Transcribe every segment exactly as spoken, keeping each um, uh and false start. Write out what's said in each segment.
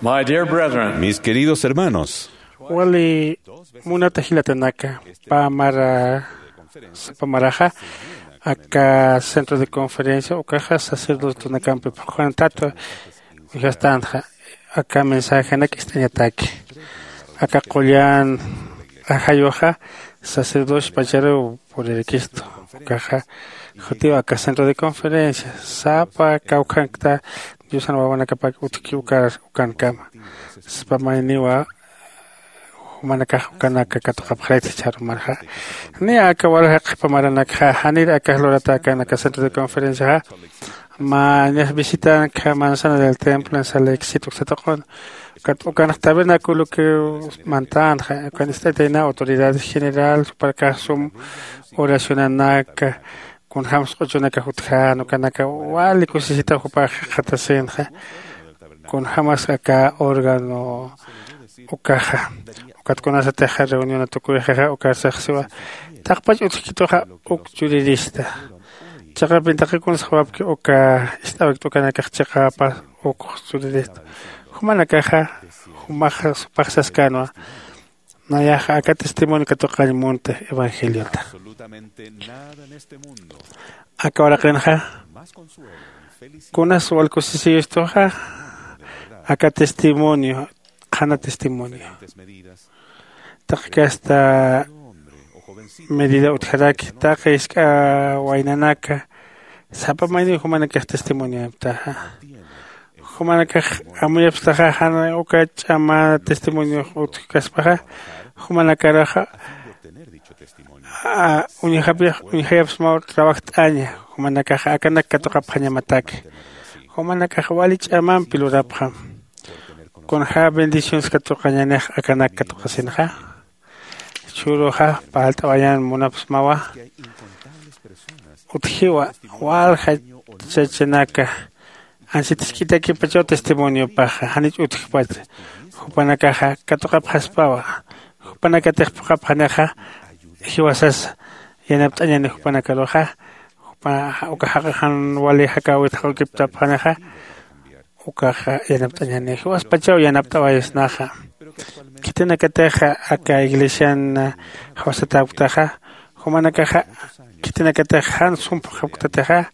My dear brethren, mis queridos hermanos, wali munata jilatanaka, pä mara, sapa maraxa aka centro de conferencia ukaxa sacerdotenakampi phuqhantat, uñjastanxa aka mensajenak ist'añataki. Aka qullan ajayuxa sacerdocio pacharuw puririkistu. Ukaxa jutiw aka centro de conferencia sapa kawkhankta Diosan wawanakapak utjki ukar ukankama. Sapa mayniwa jumanakax ukanaka katuqapxarayta jichharumarxa. Niya aka walja qhipa maranakxa janir akax lurata akanaka centro de conferenciaxa. Mä ñax visitanka manzana del templo en salexit uksatuqun. Ukat ukanx tabernaculo que mantänxa ukan ist'atayna autoridades general juparkax sum oracionanaka, kunjämsa q'uchunaka jutjän ukanaka wali kusisita jupax jikxatasinxa. Kunjämas aka órgano ukaxa ukat kunasatixa reuniona tukuyxixa ukarsaxsiwa taqpach utjkituxa uk churirista. Chiqapin taqi kunas jawapki uka ist'awikta ukanakax chiqapa ukx churirista. Jumanakaxa jumax supaxsaskänwa. Nayaxa aka testimonio katuqañ munti evangeliota. Aka uraqinxa kunas walkusisiyustuxa aka testimonio qhana testimonio. Taqi kasta medida utjaraki taqi isk'a waynanaka sapa mayniw jumanakax testimonioyaptaxa. Jumanakax amuyapstaxa jan uka ch'ama testimoniox utjkaspaxa jumanakaraxa uñjapix uñjayapsmaw trabajt'aña. Jumanakaxa akanak katuqapxañamataki. Jumanakax wali ch'amampi lurapxam. Kunja bendiciones katuqañanix akanak katuqasinxa. Churuxa parlt'awayan munapsmawa utjiwa walja chachanaka anchit jisk'itakipachaw testimoniopaxa janich utjpacha. Jupanakaxa katuqapxaspawa jupanakatix phuqhapxanixa jiwasas yanapt'añani jupanakaruxa. Jupa uka jaq'axan wali jakäwit jaq'ukiptapxanixa ukaxa yanapt'añani jiwaspachaw yanapt'awayasnaxa. Khitinakatixa aka iglesian jawsatäktaxa jumanakaxa khitinakatix jan sum phuqhapktatixa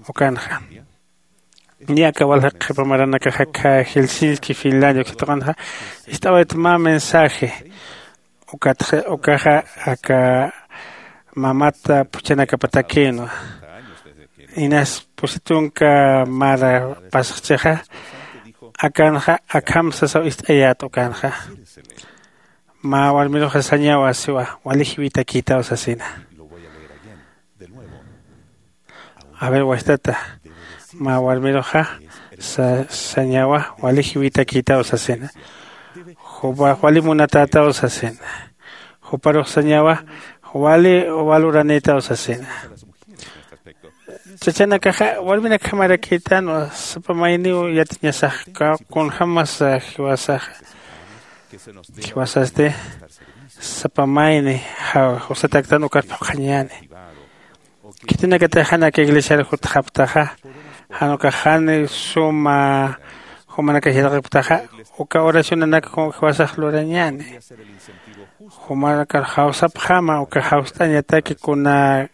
ukanxa. Niya aka walja qhipa maranakaxa kha helsinki finlandia uksatuqanxa ist'awayt mä mensaje. Ukatxa ukaxa aka mamat phuchhanakapatakïnwa. Inas pusi tunka mara pasxchixa akanxa akham sasaw ist'ayät ukanxa. Mä warmiruxa sañawa siwa wali jiwitakïtaw sasina. A ver wajtata mä warmiruxa sañawa wali jiwitakïtaw sasina. Jupax wali munatätaw sasina. Juparux sañawa wali waluranïtaw sasina. Chachanakaxa warminakjamarakïtanwa sapa mayniw yatiñasax kunjämasa jiwasaxa. Jiwasasti sapa mayni jawsatäktan ukar phuqhañäni. Khitinakatix jan aka iglesiar jutxaptaxa jan ukax jan suma jumanakax yatiqipktaxa uka oracionanak jiwasax lurañäni. Jumanakar jawsapxama uka jawst'añataki kuna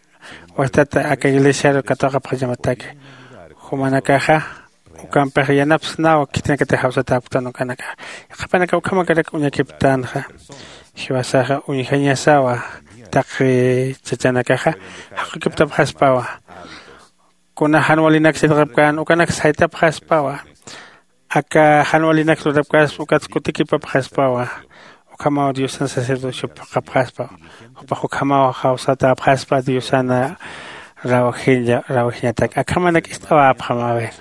wajtata aka iglesiar katuqapxañamataki. Jumanakaxa ukampix yanapsnaw khitinakatix jawsatäpktan ukanakax. Qhipanakax ukhamakarak uñakipktanxa. Jiwasaxa uñjañasawa taqi chachanakaxa jaqukiptapxaspawa. Kuna jan walinak sitqapkän ukanak saytapxaspawa. Aka jan walinak lurapkaspa ukats kutikipapxaspawa. Ukhamaw diosan sacerdocio phuqhapxaspa. Jupax ukhamaw jawsatäpxaspa diosana rawjiñatak akhamanak ist'awäpxam a ver.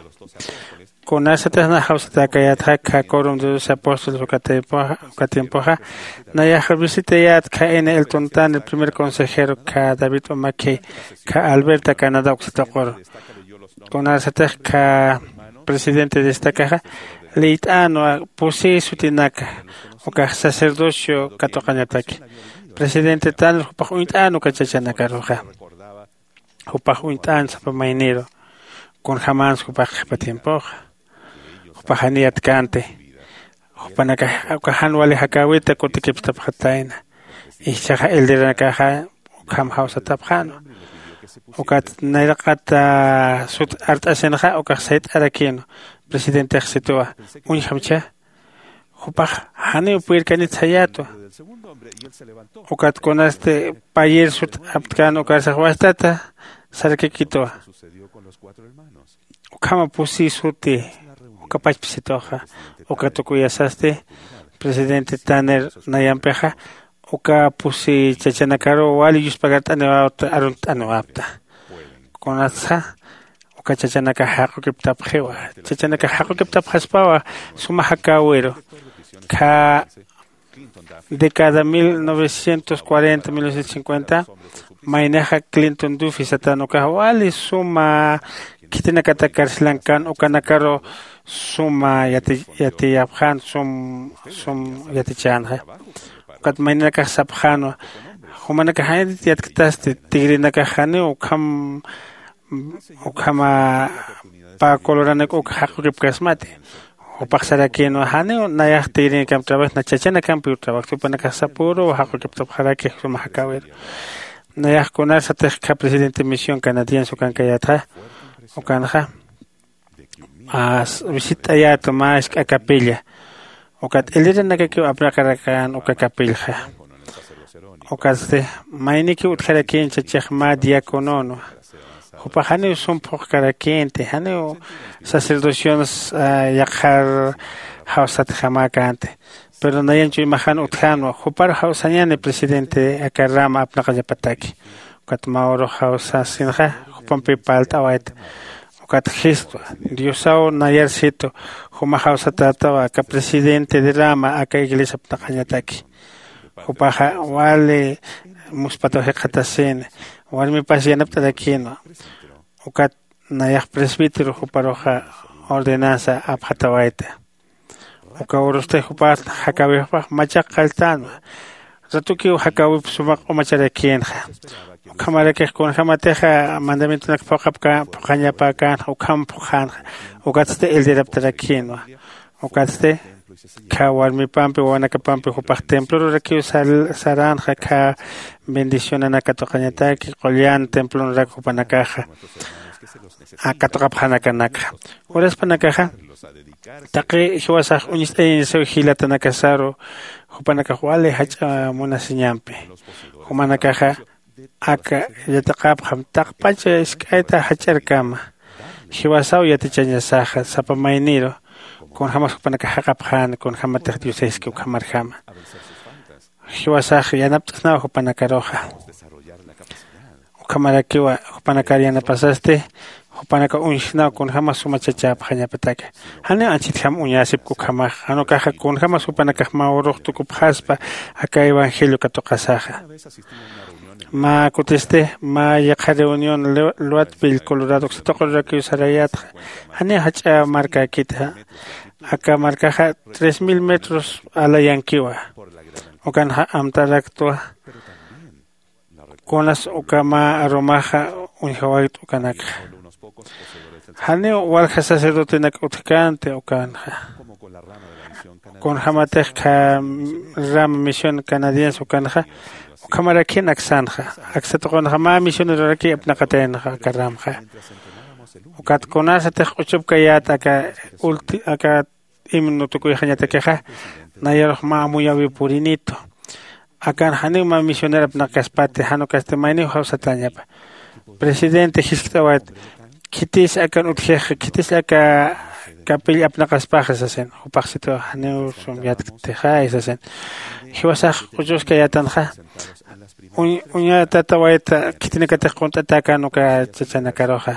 Kunasatix nax jawsatäkayätxa khakurum de doce apóstoles uka tiempoxa nayax visitayät kha ina elton tan el primer consejero kha david umakhi kha alberta canadá uksatuquru. Kunasatix kha presidente destakaxa liyt'änwa pusï sutinaka ukax sacerdocio katuqañataki. Presidente tanir jupax uñt'än uka chachanakaruxa. Jupax uñt'än sapa mayniru kunjämänsa jupax qhipa tiempoxa. Jupax janiyat känti Jupanakax uka jan wali jakäwita kutikipstapxatayna. Ichhaxa elderanakaxa ukham jawsatapxänwa. Ukat nayraqat sut art'asinxa ukax sayt'arakïnwa. Presidentex situwa, uñjamcha. Jupax janiw puyirkanit sayätwa. Ukat kunasti payir sut aptkän ukarsax wastata sarakikitwa. Ukhama pusi suti uka pachpsituxa uka tukuyasasti presidente Tanner nayampixa uka pusi chachanakaruw wali yuspagart'aniwäpta, aruntt'aniwäpta. Kunatsa uka chachanakax jaqukiptapxiwa. Chachanakax jaqukiptapxaspawa suma jakäwiru. Kha década mil novecientos cuarenta, mil novecientos cincuenta, maynixa Clinton Duffy satan ukax wali suma khitinakatak carcelankan, ukanakaru suma yati yatiyapxän, sum sum yatichänxa. Ukat mayninakax sapxänwa, jumanakax janit yatktasti, tigrinakax janiw ukham ukhama pä coloranak uk jaqukipkasmati. Jupax sarakïnwa, janiw nayax tigrinakam trabajis, na chachanakampiw trabajis. Jupanakax sapüruw jaqukiptapxaraki suma jakäwiru. Nayax kunarsatix kha presidente misión canadiense ukankayätxa, ukanxa visitt'ayätu mä jisk'a capilla. Ukat elderanakakiw apnaqarakän uka capillxa. Ukatsti maynikiw utjarakïn chachix mä diacononwa. Jupax janiw sum phuqkarakïnti, janiw sacerdocionas yaqhar jawsatjamäkänti. Pero nayan chuymaxan utjänwa, jupar jawsañäni presidente aka rama apnaqañapataki. Ukat mä urux jawsasinxa jupampi parlt'awayta. Ukat jistwa, Diosaw nayar situ juma jawsatätawa aka presidente de rama aka iglesia apnaqañataki. Jupaxa wali muspataw jikxatasïni, warmipas yanapt'arakïnwa. Ukat nayax presbítero juparuxa ordenanza apxatawayta. Uka urusti jupax jakäwixpax machaq qalltänwa. Ratukiw jakäwip suma q'umacharakïnxa. Ukhamarakix kunjämatixa mandamientonak phuqapkän, phuqañapäkänxa, ukham phuqhänxa. Ukatsti elderaptarakïnwa. Ukatsti kha warmipampi wawanakapampi jupax templorurakiw saränxa kha bendicionanak katuqañataki, qullan templonurak jupanakaxa katuqapxanakanakxa. Uraspanakaxa taqi jiwasax uñst'ayañasaw jilatanakasaru jupanakax wali jach'a munasiñampi. Jumanakaxa aka yatiqapxam taqpacha isk'ayta jach'arkama. Jiwasaw yatichañasaxa sapa mayniru kunjämas jupanakax jaqapxäna, kunjämatix Diosaski ukhamarjama. Jiwasax yanapt'asnaw jupanakaruxa. Ukhamarakiwa jupanakar yanapasasti jupanaka uñjsnaw kunjämas suma chachäpxañapataka. Janiw anchhitjam uñäsipki ukhamax, jan ukaxa kunjämas jupanakax mä urux tukupxaspa aka evangelio katuqasaxa. Mä kutisti mä yaqha reunión Luatville Colorado uksa tuqirurakiw sarayätxa. Janiw jach'a markäkiti. Aka markaxa tres mil metros alayankiwa. Ukanxa amtaraktwa. Kunas uka mä arumaxa uñjawaykt ukanakxa. Janiw walja sacerdotenak utjkänti ukanxa. Kunjämatix kha rama misión canadiense ukanxa ukhamarakïn aksanxa. Aksa tuqunxa mä misioneroraki apnaqataynaxa aka ramxa. Ukat kunarsatix q'uchupkayät aka ulti aka himno tukuyxañatakixa, nayarux mä amuyäwiw purinitu. Akan janiw mä misionero apnaqkaspati, jan ukasti mayniw jawsatäñapa. Presidente jiskt'awayt, khitis akan utjix, khitis aka capilla apnaqaspaxa sasin. Jupax situ, janiw sum yatktixa sasin. Jiwasax q'uchuskayätanxa uñatatawayta khitinakatix qunt'atäkän uka chachanakaruxa.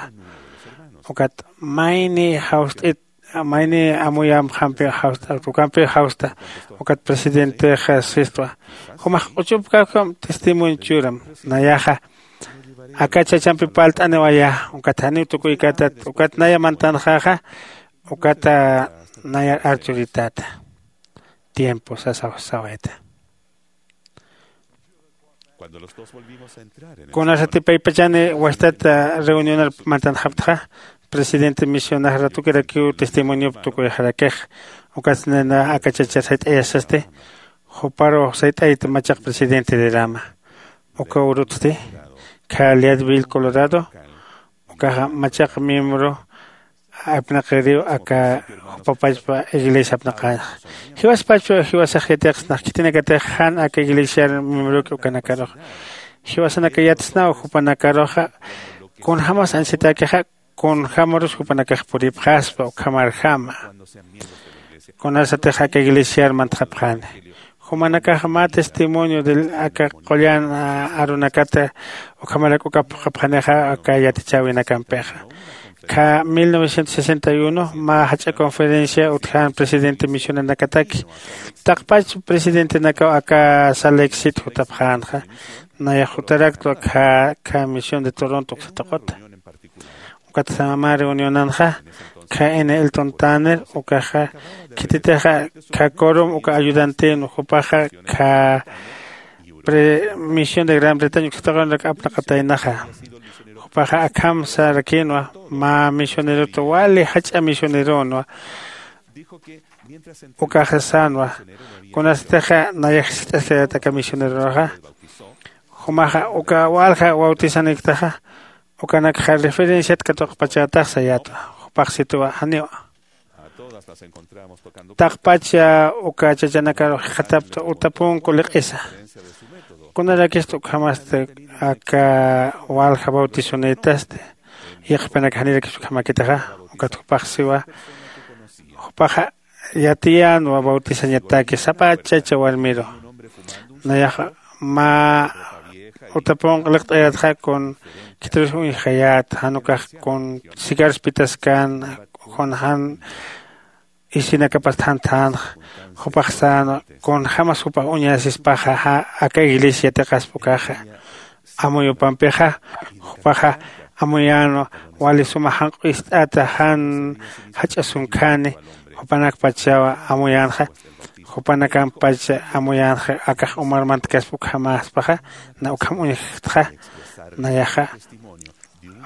Ukat mayni jawst'it, mayni amuyamxampiw jawst'a, ukampiw jawst'a. Ukat presidentexa sistwa, jumax q'uchupkäkam testimonio churam. Nayaxa aka chachampi parlt'aniwayä. Ukat janiw tukuykätat, ukat naya mantanxäxa, ukata nayar archuritäta. Tiempo sasaw sawayta. Kunasati paypachani wastat reunionar mantanxaptxa, presidente misionax ratukirakiw testimoniop tukuyxarakix. Ukas nena aka chachar sayt'ayasasti. Juparu sayt'ayta machaq presidente de rama uka urutsti. Kha leadville colorado. Ukaxa machaq miembro apnaqiriw aka jupapachpa iglesia apnaqañxa. Jiwaspachpa jiwasax yatiqsnax khitinakatix jan aka iglesiar miembroki ukanakarux jiwasanaka yatsnaw jupanakaruxa. Kunjämas anchitakixa kunjämarus jupanakax puripxaspa ukhamarjama. Kunasatix aka iglesiar mantxapxani jumanakax mä testimonio de aka qullan arunakata ukhamarak uka phuqhapxanixa aka yatichäwinakampixa. Kha mil novecientos sesenta y uno mä jach'a conferencia utjan presidente misionanakataki taqpach presidentenakaw aka saleksit jutapxänxa. Nayax jutaraktwa kha kha misión de toronto uksatuq'uta. Ukat mä reunionanxa kha n elton tanner ukaxa khititixa kha corom uka ayudantin jupaxa kha misión de gran bretaña uksatuq'unrak apnaqataynaxa. Jupaxa akham sarakinwa mä misionerota wali jach'a misioneronwa. Ukaxa sänwa kunasatixa nayax jist'askayät aka misioneronaxa. Jumaxa uka walja bautizaniktaxa ukanakxa referenciat katuqpachätax sayätwa. Jupax situwa janiwa. Taqpacha uka chachanakarux jikxatapta utapunku liq'isa. Kunarakista ukhamasti aka walja bautizonïtasti yaqhipanak janirakis ukhamakitaxa. Ukat jupax siwa jupaxa yatiyänwa bautizañataki sapa chacha warmiru. Nayaxa mä utapunq liqt'ayätxa kun khitirus uñjayät jan ukax kun cigarros pitaskan kun jan isinakapast jan thänxa. Jupax sänwa kunjämas jupax uñasispaxa aka iglesia yatiqaspa ukaxa. Amuyupampixa jupaxa amuyänwa wali suma janq'u ist'ata jan jach'a sunkhani jupanakpachawa amuyänxa. Jupanakampach amuyänxa akax umarmantkaspa ukhamäspaxa na ukham uñjtxa. Nayaxa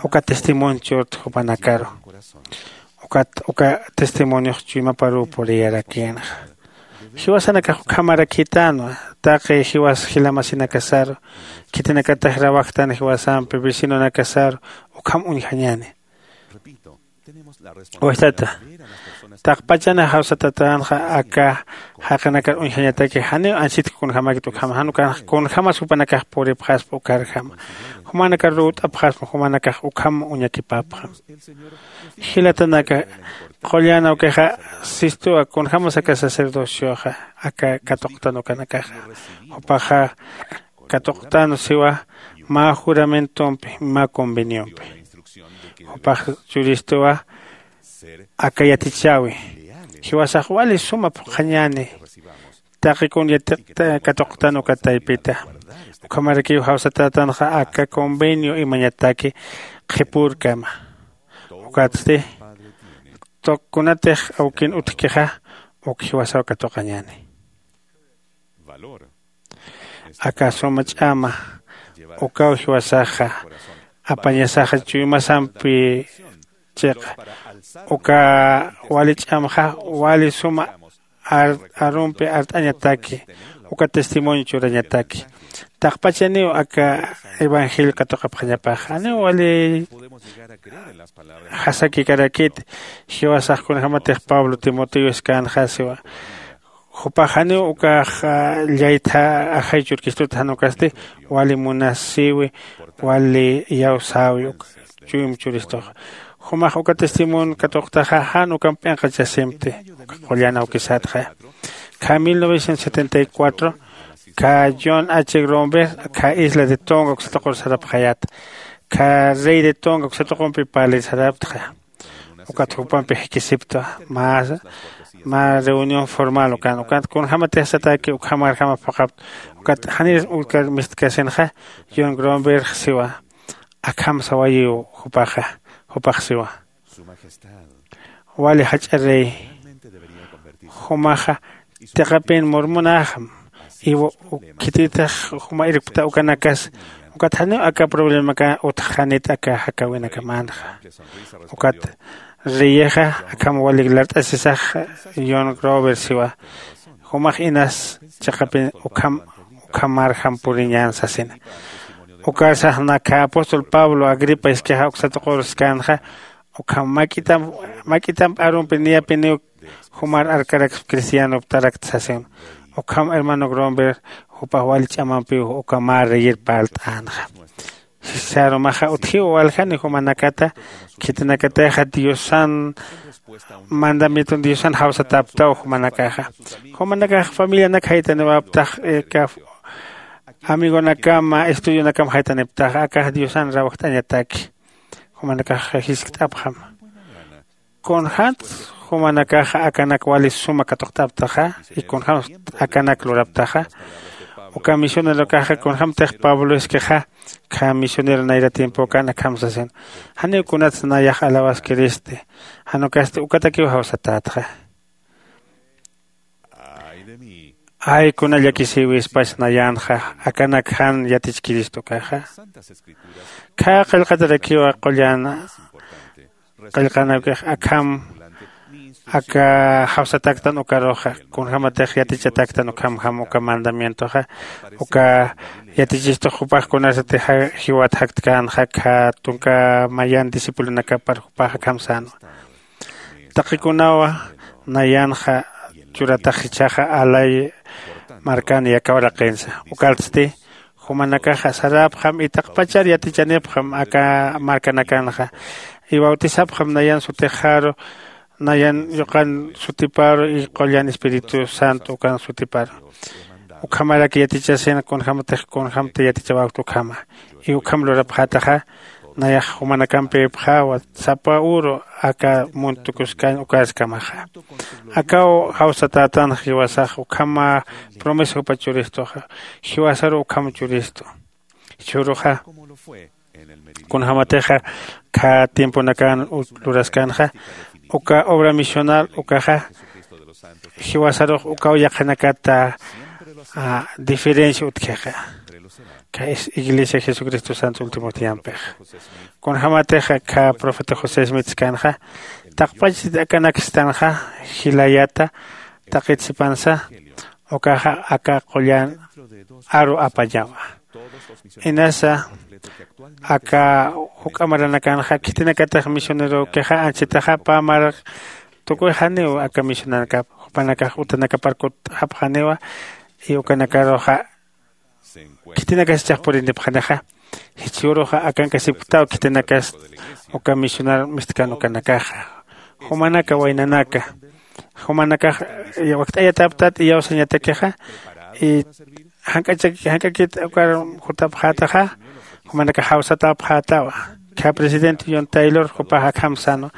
uka testimonio churta jupanakaru. Ukat uka testimoniox chuymaparuw puriyarakïnxa. Jiwasanakax ukhamarakïtänwa taqi jiwas jilamasinakasaru khitinakatax rawajtan jiwasampi vecinonakasaru ukham uñjañäni. Wajtata taqpachana jawsatatänxa aka jaqinakar uñjañataki janiw anchitki kunjämäkit ukhama jan ukanxa kunjämas jupanakax puripxaspa ukarjama jumanakar ruwt'apxaspa jumanakax ukham uñakipapxam. Jilatanaka qullan awkixa sistuwa kunjämas aka sacerdocioxa aka katuqtan ukanakaxa. Jupaxa katuqtan siwa mä juramentompi mä conveniompi. Jupax churistuwa aka yatichäwi jiwasax wali suma phuqhañäni. Taqi kun yatiqta katuqtan uka taypita ukhamarakiw jawsatätanxa aka convenio imañataki qhipürkama. Ukatsti kunatix awkin utjkixa uk jiwasaw katuqañäni. Aka suma ch'ama ukaw jiwasaxa apañasaxa chuymasampi chiqa uka wali ch'amxa wali suma arumpi art'añataki uka testimonio churañataki. Taqpachaniw aka evangelio katuqapxañapax janiw wali jasakikarakit. Jiwasax kunjämatix pablo timoteo iskänxa siwa jupax janiw ukax llaytha ajay churkistut jan ukasti wali munasiwi wali iyawsäwi uka chuyum churistuxa. Jumax uka testimonio katuqtaxa jan ukamp p'inqachasimti uka qullan awkisatxa. Kha mil novecientos setenta y cuatro kha john h gromber kha isla de tonga uksatuqur sarapxayät kha rey de tonga uksatuqumpi parlir saraptxa. Ukat jupampi jikisipta mä mä reunión formal ukan ukat kunjämatix sataki ukhamarjama phuqhapta. Ukat janir utkar mistkasinxa john gromberx siwa akham sawayiw jupaxa. Jupax siwa wali jach'a rey jumaxa tiqapin murmunaxam. Iwa khititix juma irpta ukanakas ukat janiw aka problemaka utxanit aka jakäwinakamänxa. Ukat Reyixa akham walik lart'asisax, yon grover siwa, jumax inas chiqapin ukham ukhamarjam puriñän sasina. Ukarsax nakhä apóstol pablo agripa iskixa uksa tuqur skanxa, ukham mak'itamp arumpi niyapiniw jumar arkaraksa cristianoptarakta sasin. Ukham hermano gromber jupax wali ch'amampiw uka mä reyir parlt'änxa. Sarumaxa utjiw waljani jumanakata khitinakatixa diosan mandamienton diosan jawsatäptaw jumanakaxa. Jumanakax familianak jaytaniwäptax, amigonakama estudionakam jaytaniptaxa akax diosan rawjt'añataki. Jumanakax jiskt'apxam. Kunjämts jumanakaxa akanak wali suma katuqt'aptaxa? Y kunjämts akanak luraptaxa? Uka misionerokaxa kunjämtix pablo iskixa khä misionero nayra tiempokan akham sasin, janiw kunats nayax alawaskiristi. Jan ukasti ukatakiw jawsatätxa. Ay kuna llakisïwispach nayänxa akanak jan yatichkiristukaxa. Khä qillqatarakiwa qullan qillqanakix akham aka jawsataktan ukaruxa, kunjämatix yatichataktan ukhamjam uka mandamientoxa. Uka yatichistux jupax kunasatixa jiwat jaktkänxa khä tunka mayan discipulonakapar jupax akham sänwa. Taqikunawa nayanxa churatax jichhaxa alay markan yaka uraqinsa. Ukaltsti jumanakaxa saräpxam y taqpachar yatichanipxam aka markanakanxa. Y bautisapxam nayan sutixaru, nayan yuqan sutiparu y qullan espíritu santo ukan sutiparu. Ukhamarak yatichasina kunjämatix kunjämta yatichawäkta ukhama. Y ukham lurapxätaxa nayax jumanakamp ipxäwa sapa uru aka munt tukuskañ ukaskamaxa. Akaw jawsatätanx jiwasax ukham promesa jupa churistuxa. Jiwasaru ukham churistu. Jichhüruxa kunjämatixa khä tiemponakan luraskänxa uka obra misional ukaxa jiwasarux ukaw yaqhanakata diferencia utjixa. Iglesia jesucristo santo último tiempox kunjämatixa khä profeta josé smith skanxa taqpachit akanakstanxa jilayata taqit sipansa ukaxa aka qullan aru apañawa. Inasa aka juk'a maranakanxa khitinakatix misionerokixa anchitaxa pä maraq tukuy janiw aka misionanakap jupanakax utanakapar kut'apxaniwa. Y ukanakaruxa khitinakas ichax purinipxanixa jichhüruxa akankasipktaw khitinakas uka misionar mistkan ukanakaxa. Jumanaka waynanaka jumanakax wakt'ayatäptat iyawsañatakixa. Y jank'akit ukar jutapxätaxa jumanakax jawsatäpxätawa. Kha presidente yon taylor jupax akham sänwa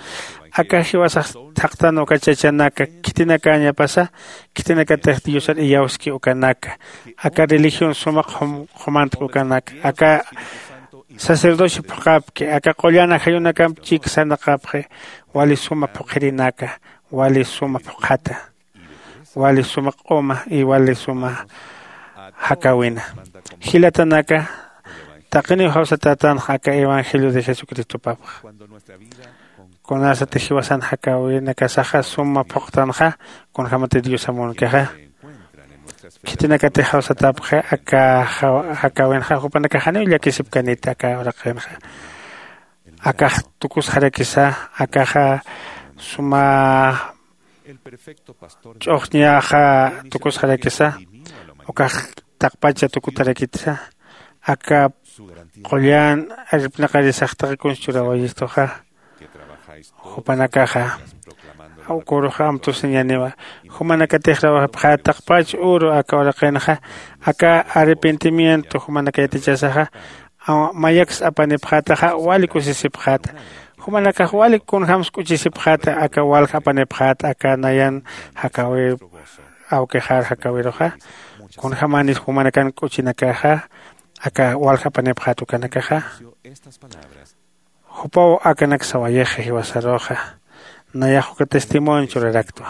aka jiwasax thaqtan uka chachanaka khitinakäñapasa khitinakatix diosar iyawski ukanaka aka religión sumaq qhumantk ukanaka aka sacerdocio phuqhapki aka qullan ajayunakamp chik sarnaqapxi. Wali suma phuqhirinaka wali suma phuqhata wali suma q'uma y wali suma jakäwina. Jilatanaka taqiniw jawsatätanxa aka evangelio de jesucristopapxa. Kunasatix jiwasan jakäwinakasaxa suma phuqtanxa kunjämatix diosa munkixa khitinakatix jawsatäpxi aka jakäwinxa jupanakax janiw llakisipkaniti aka uraqinxa. Akax tukusxarakisa akaxa suma ch'uxñaxa tukusxarakisa ukax taqpacha tukutarakitsa aka qullan arpnaqarisax taqi kunsa churawayistuxa. Jupanakaxa uküruxa amtusiñaniwa jumanakatix rawajapxä taqpach uru aka uraqinxa aka arrepentimiento jumanaka yatichasaxa mayaks apanipxätaxa wali kusisipxäta. Jumanakax wali kunjämsa k'uchisipxäta aka walja apanipxäta aka nayan jakäwir awkixar jakäwiruxa kunjämanis jumanakan k'uchinakaxa aka walja apanipxäta ukanakaxa. Jupaw akanak sawayixa jiwasaruxa nayax uka testimonio churaraktwa.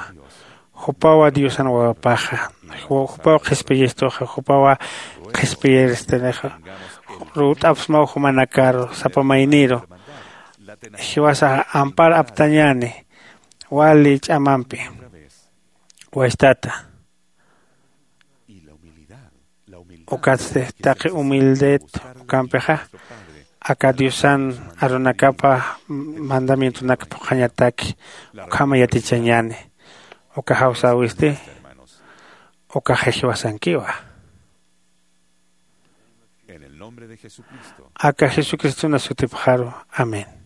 Jupawa diosan wawapaxa jupaw qhispiyistuxa jupawa qhispiyiristinixa. Ruwt'apsmaw jumanakaru sapa mayniru Jiwasaxa ampar aptañäni wali ch'amampi. Wachtata, ukatsti taqi humildet ukampixa aka diosan arunakapa mandamientonak phuqhañataki ukhama yatichañäni. Uka jawsäwisti ukaxa jiwasankiwa. Aka jesucristona sutipxaru. Amén.